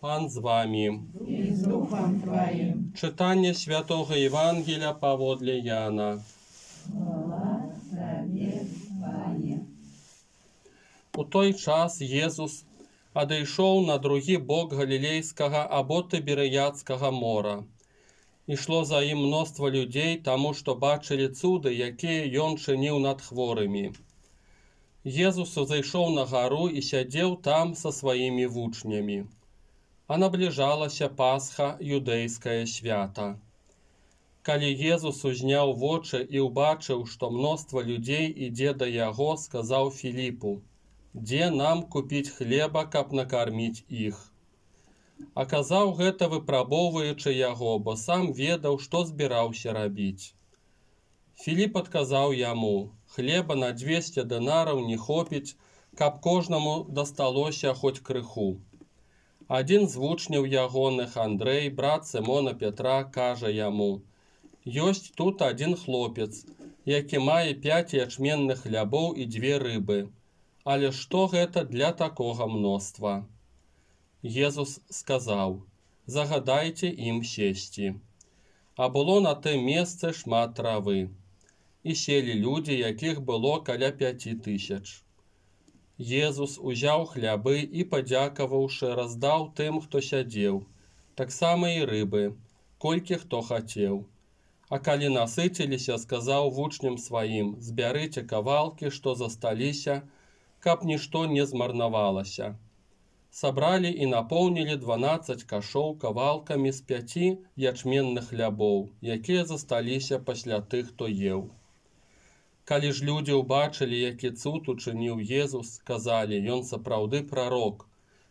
Пан з вами. І з Духом Твоїм. Читання Святого Євангелія паводле Яна. Хвала Тобі, Пане. У той час Єсус адійшов на другі бок Галілейського або Тиберіадського мора. Ішло за ім мноство людей, тому що бачили цуди, які Ён чинив над хворими. Єсус зайшов на гору і сидів там со своїми вучнями. А наближалася Пасха, юдейське свято. Калі Єсус узняв вочы і убачыў, што мноства людзей ідзе да яго, сказаў Філіпу: «Дзе нам купіць хлеба, каб накарміць іх?» Аказаў гэта, выпрабоўваючы яго, бо сам ведаў, што збіраўся рабіць. Філіп адказаў яму: «Хлеба на 200 дынараў не хопіць, каб кожнаму дасталося хоць крыху». Адзін з вучняў ягоных, Андрэй, брат Сымона Петра, кажа яму: «Ёсць тут адзін хлопец, які мае 5 ячменных хлябоў і 2 рыбы. Але што гэта для такога мноства?» Езус сказаў: «Загадайце ім сесці». А было на тым месцы шмат травы. І селі людзі, якіх было каля 5000. Езус узяў хлябы і, падзякаваўшы, раздаў тым, хто сядзеў, таксама і рыбы, колькі хто хацеў. А калі насыціліся, сказаў вучням сваім: «Збярыце кавалкі, што засталіся, каб нішто не змарнавалася». Сабралі і напоўнілі 12 кашоў кавалкамі з 5 ячменных хлябоў, якія засталіся пасля тых, хто еў. Калі ж людзі ўбачылі, які цуд учыніў Езус, сказалі: «Ён сапраўды прарок,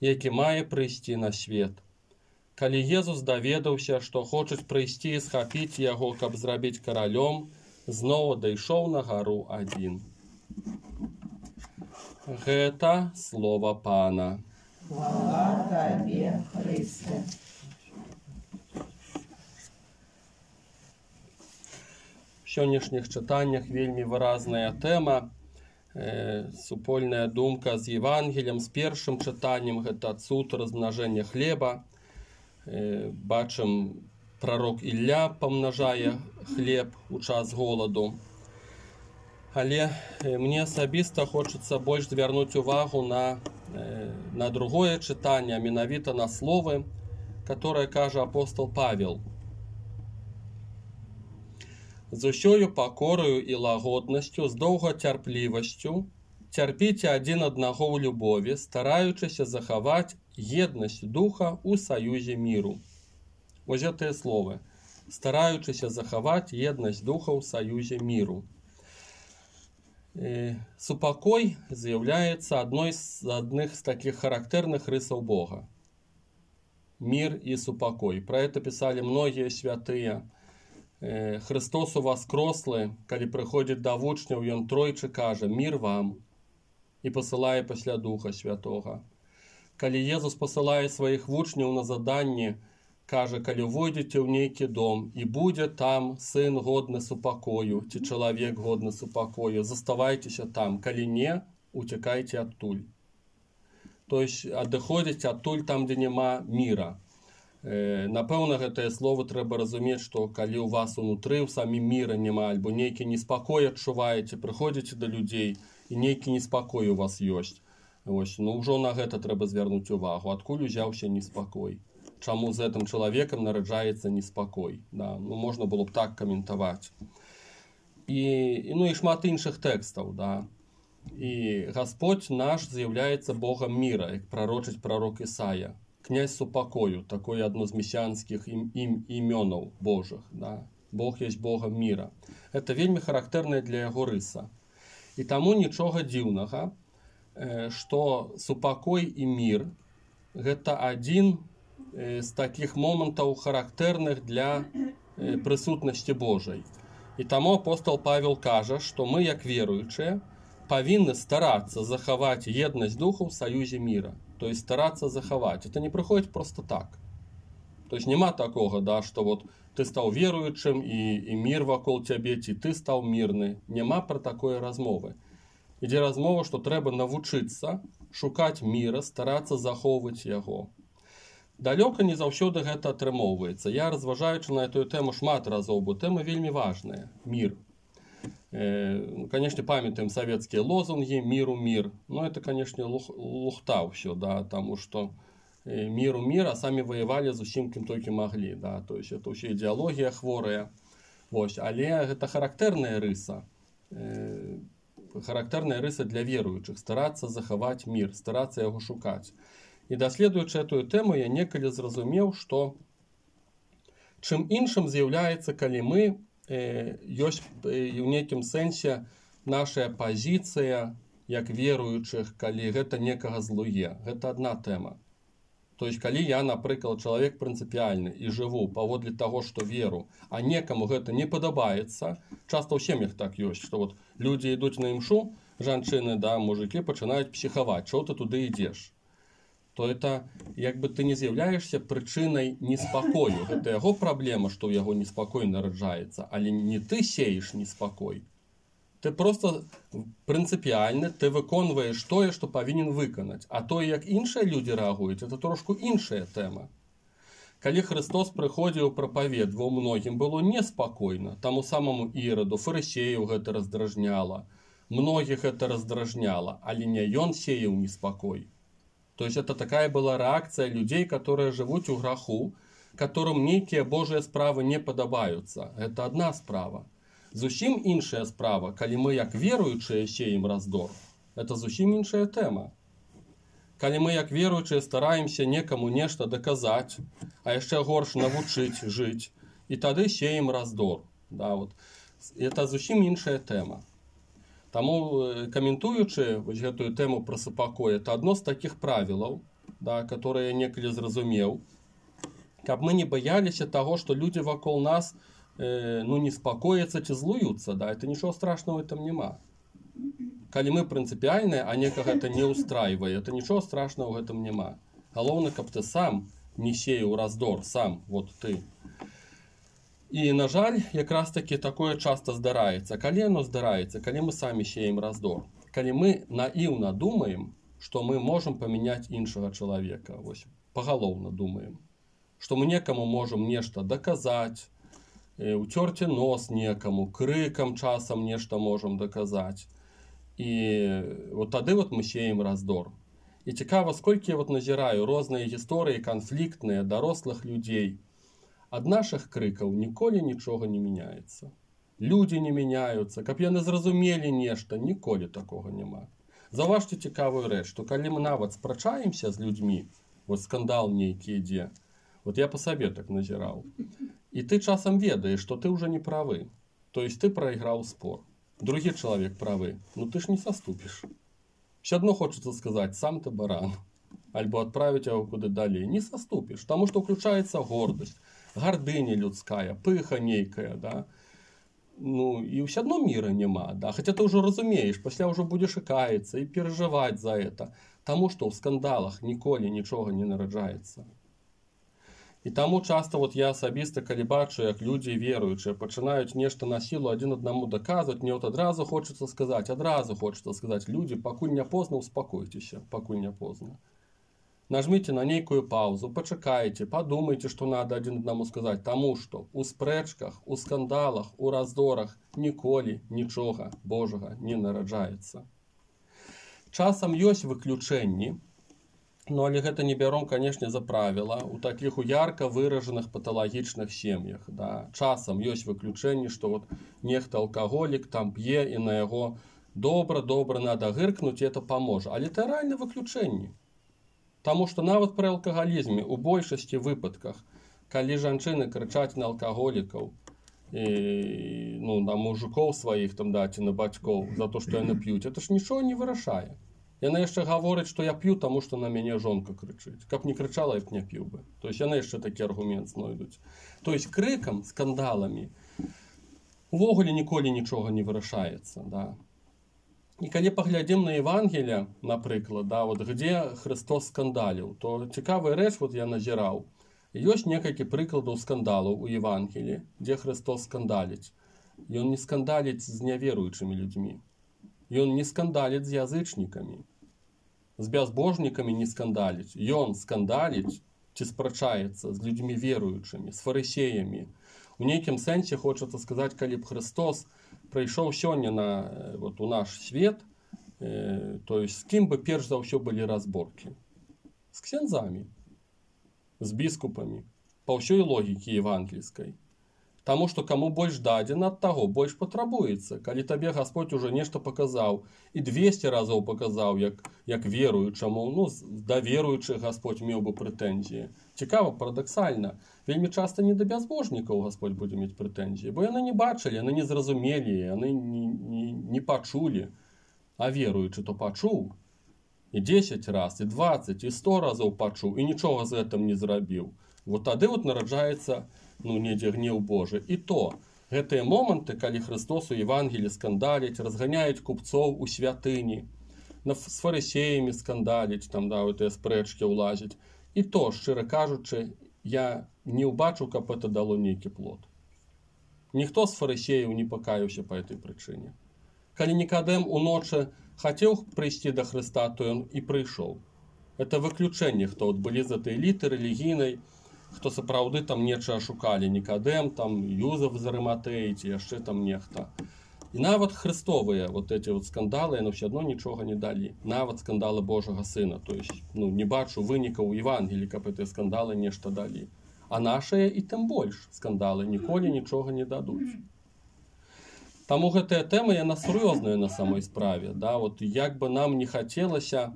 які мае прыйсці на свет». Калі Езус даведаўся, што хочуць прыйсці і схапіць яго, каб зрабіць каралём, зноў адышоў на гару адзін. Гэта слова Пана. Хвала Тобі, Христе. В сённяшніх чытаннях вельмі выразная тэма, супольная думка з Евангеліем, з першым чытаннем, гэта цуд размнажэння хлеба. Бачым, прарок Ілля памнажае хлеб у час голаду. Але мне асабіста хочацца больш звярнуць увагу на другое чытанне, а менавіта на словы, которое кажа апостол Павел. «З усёю пакораю і лагоднасцю, з доўгацярплівасцю цярпіце адзін аднаго ў любові, стараючыся захаваць еднасць духа ў саюзе міру». Вось гэтыя словы. Стараючыся захаваць еднасць духа ў саюзе міру. Супакой з'яўляецца адной з такіх характэрных рысаў Бога. Мір і супакой. Пра гэта пісалі многія святыя. Христос уваскрослы, калі прыходзіць да вучняў, ён тройчы кажа: «Мір вам», і пасылае пасля Духа Святога. Калі Езус пасылае сваіх вучняў на заданні, кажа: «Калі войдзеце ў нейкі дом, і будзе там сын годны супакою, ці чалавек годны супакою, заставайцеся там, калі не, уцякайце адтуль». То есть адыходзіць адтуль там, дзе няма міра. Напэўна, гэтыя словы трэба разумець, што калі ў вас унутры ў самім міра няма, альбо нейкі неспакой адчуваеце, прыходзіце да людзей, і нейкі неспакой у вас ёсць. Ўжо на гэта трэба звярнуць увагу. Адкуль узяўся неспакой? Чаму з гэтым чалавекам нараджаецца неспакой? Можна было б так каментаваць. І шмат іншых тэкстаў. І Гасподзь наш з'яўляецца Богам міра, як прарочыць прарок Ісая. Князь супакою, такое адно з месіянскіх імёнаў Божых. Бог есть Богам міра. Гэта вельмі характэрная для яго рыса. І таму нічога дзіўнага, што супакой і мір – гэта адзін з такіх момантаў характэрных для прысутнасці Божай. І таму апостол Павел кажа, што мы, як веруючыя, павінны старацца захаваць еднасць духа ў саюзе міра. То есть старацца захаваць. Это не прыходзіць просто так. То есть няма такога, што вот ты стаў веруючым і мір вакол цябе, ці ты стаў мірны. Няма пра такое размовы. Ідзе размова, што трэба навучыцца шукаць міра, старацца захоўваць яго. Далёка не заўсёды гэта атрымоўваецца. Я, разважаючы на эту тэму шмат разоў, бо тэма вельмі важная. Мір. Конечно, памятаем советские лозунги «Миру мир». Но это, конечно, лухта ўсё, да, тому что миру мир, а сами воевали зусім кім толькі маглі. Да, то есть это ўсё ідэалогія хворая. Вось, але гэта характэрная рыса. Характэрная рыса для веруючых. Старацца захаваць мир, старацца яго шукаць. І даследуючы эту тэму, я некалі зразумеў, што чым іншым з'яўляецца, калі мы ёсць у нейкім сэнсе наша пазіцыя як веруючых, калі гэта некага злуе. Гэта адна тэма. То есть, калі я, напрыклад, чалавек прынцыпіяльны і жыву паводле таго, што веру, а некаму гэта не падабаецца, часта ў сем'ях так ёсць, што вот людзі ідуць на імшу, жанчыны, да, мужыкі пачынаюць псіхаваць, чого ты туды ідзеш? То это як бы ты не з'яўляешься прычынай неспакою. Гэта яго праблема, што ў яго неспакой нараджаецца, але не ты сееш неспакой. Ты просто прынцыпіяльны, ты выконваеш тое, што павінен выканаць. А тое, як іншыя людзі рэагуюць, это трошку іншая тэма. Калі Христос прыходзіў прапаведваў, многім было неспакойна. Таму самому Іраду, фарысеяў гэта раздражняла. Многіх гэта раздражняла, але не ён сеяў неспакой. То есть это такая была реакция людей, которые живут у граху, которым некие Божьи справы не подобаются. Это одна справа. Зусім іншая справа, калі мы як веруючыя сеем раздор, это зусім іншая тэма. Калі мы як веруючыя стараемся некаму нешта даказаць, а яшчэ горш навучыць жыць, і тады сеем раздор. Да, вот. Это зусім іншая тэма. Таму, каментуючы гэтую тэму пра супакой, это адно з такіх правілаў, да, которые я некалі зразумеў, каб мы не баяліся таго, што людзі вакол нас неспакояцца ці злуюцца. Да, это нічого страшного в этом няма. Калі мы прынцыпіяльныя, а некага гэта не ўстрайвае, это нічого страшного в этом няма. Галоўна, каб ты сам не сеяў раздор, сам, вот ты. І, на жаль, якраз таки такое часто здараецца. Калі оно здараецца, калі мы самі сеем раздор, калі мы наіўна думаем, што мы можам памяняць іншага чалавека, вось, пагалоўна думаем, што мы некаму можам нешта даказаць, уцёрці нос некаму, крыкам часам нешта можам даказаць. І вот тады вот мы сеем раздор. І цікава, сколькі я вот назіраю розныя гісторыі канфліктныя дарослых людзей. Ад нашых крыкаў ніколі нічога не мяняецца. Людзі не мяняюцца, каб яны зразумелі нешта, ніколі такога няма. Заўважце цікавую рэч, што калі мы нават спрачаемся з людзьмі, вот скандал нейкі ідзе, вот я па сабе так назіраў, і ты часам ведаеш, што ты ўжо не правы, то есть ты прайграў спор. Другі чалавек правы, ну ты ж не саступіш. Все адно хочацца сказаць, сам ты баран, альбо адправіць яго куды далей, не саступіш, таму што ўключаецца гордасць, гардыня людская, пыха нейкая, да. Ну, і ўсё адно міра няма, да. Хаця ты ўжо разумееш, пасля ўжо будзеш і каяцца, і перажываць за это, таму што ў скандалах ніколі нічога не нараджаецца. І таму часта вот я асабіста, калі бачу, як людзі веруючыя пачынаюць нешта на сілу адзін аднаму даказваць, мне вот адразу хочацца сказаць, людзі, пакуль не позна, успакойцеся, пакуль не позна. Нажмите на нейкую паузу, пачакайце, падумайце, што надо адзін аднаму сказаць, таму што у спрэчках, у скандалах, у раздорах ніколі нічога Божага не нараджаецца. Часам ёсць выключэнні, но але гэта не бяром, канешне, за правіла у такіх у ярка выражаных паталагічных сем'ях. Да. Часам ёсць выключэнні, што вот нехта алкаголік там п'е і на яго добра надо гыркнуць, і это паможа. Але это рэальна выключэнні. Таму што нават пры алкагалізме у большасці выпадках, калі жанчыны крычаць на алкаголікаў, на мужикоў сваіх там, да, ці на бацькоў за то, што яны п'юць, это ж нічого не вырашае. Яна яшчэ гаворыць, што я п'ю, таму што на мяне жонка крычыць. Каб не крычала, я б не п'ю бы. То есть яны яшчэ такі аргумент знойдуць. То есть крыкам, скандаламі увогуле ніколі нічога не вырашаецца, да. І калі паглядзім на Евангелие, напрыклад, да, вот, где Христос скандаліў, то цікавая рэч, вот я назіраў. Ёсць некалькі прыкладаў скандалаў у Евангелии, дзе Христос скандаліць. Ён не скандаліць з няверуючымі людзьмі. Ён не скандаліць з язычнікамі. З бязбожнікамі не скандаліць. Ён скандаліць ці спрачаецца з людзьмі веруючымі, з фарысеямі. У нейкім сэнсе хочацца сказаць, калі б Христос прыйшоў сёння у наш свет, то есть з кім бы перш за ўсё былі разборкі? З ксяндзамі, з біскупамі, па ўсёй логікі евангельскай. Таму што каму больш дадзена, ад таго больш патрабуецца. Калі табе Гасподь уже нешта паказаў і 200 разоў паказаў, як веруючаму, да веруючых Гасподь меў бы прэтэнзіі. Цікава, парадаксальна, вельмі часта не да бязбожнікаў Гасподь будзе мець прэтэнзіі, бо яны не бачылі, яны не зразумелі, яны не пачулі. А веруючы то пачуў. І 10 раз, і 20, і 100 разоў пачуў, і нічога з гэтым не зрабіў. Вот тады нараджаецца недзе гнеў Божы. І то, гэтыя моманты, калі Христос у Евангелі скандаліць, разганяюць купцоў у святыні, з фарысеямі скандаліць, там, гэтыя спрэчкі ўлазіць. І то, шчыра кажучы, я не ўбачыў, каб это дало нейкі плод. Ніхто з фарысеяў не пакаяўся па этой прычыне. Калі Нікадэм уночы хацеў прыйсці да Хрыста, то ён і прыйшоў. Это выключэнне, хто былі з этой эліты рэлігійнай, хто сапраўды там нечага шукалі, Нікадэм, там Юзеф з Арыматэі, ці яшчэ там нехта. І нават хрыстовыя эти скандалы, яны ўсё адно нічога не далі. Нават скандалы Божага Сына. То есть, не бачу вынікаў у Евангелі, каб гэтыя скандалы нешта далі. А нашыя і тым больш скандалы ніколі нічога не дадуць. Таму гэтая тэма, яна сур'ёзная на самой справе. Як бы нам не хацелася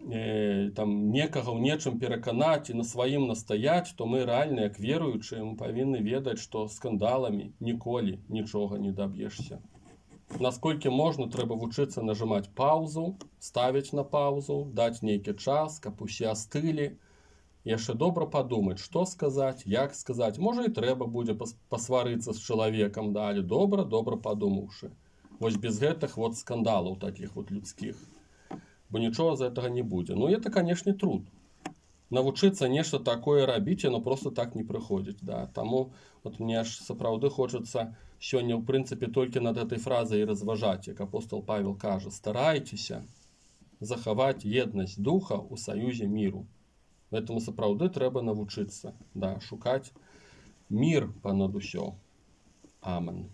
некага ў нечым пераканаць і на сваім настаяць, то мы рэальна, як веруючыя, мы павінны ведаць, што скандаламі ніколі нічога не даб'ешся. Насколькі можна, трэба вучыцца нажимаць паузу, ставіць на паузу, даць нейкі час, каб усе астылі. Яшчэ добра падумаць, што сказаць, як сказаць. Можа, і трэба будзе пасварыцца з чалавекам, але добра падумаўшы. Вось без гэтых скандалаў такіх людскіх. Бо нічога з гэтага не будзе. Это, канешне, труд. Навучыцца нешта такое рабіць, яно просто так не прыходзіць. Таму мне аж сапраўды хочацца сёння, ў прынцыпе, толькі над гэтай фразай разважаць, як апостол Павел кажа: старайцеся захаваць еднасць духа ў саюзе міру. Гэтаму сапраўды трэба навучыцца, шукаць мір панад усё. Амен.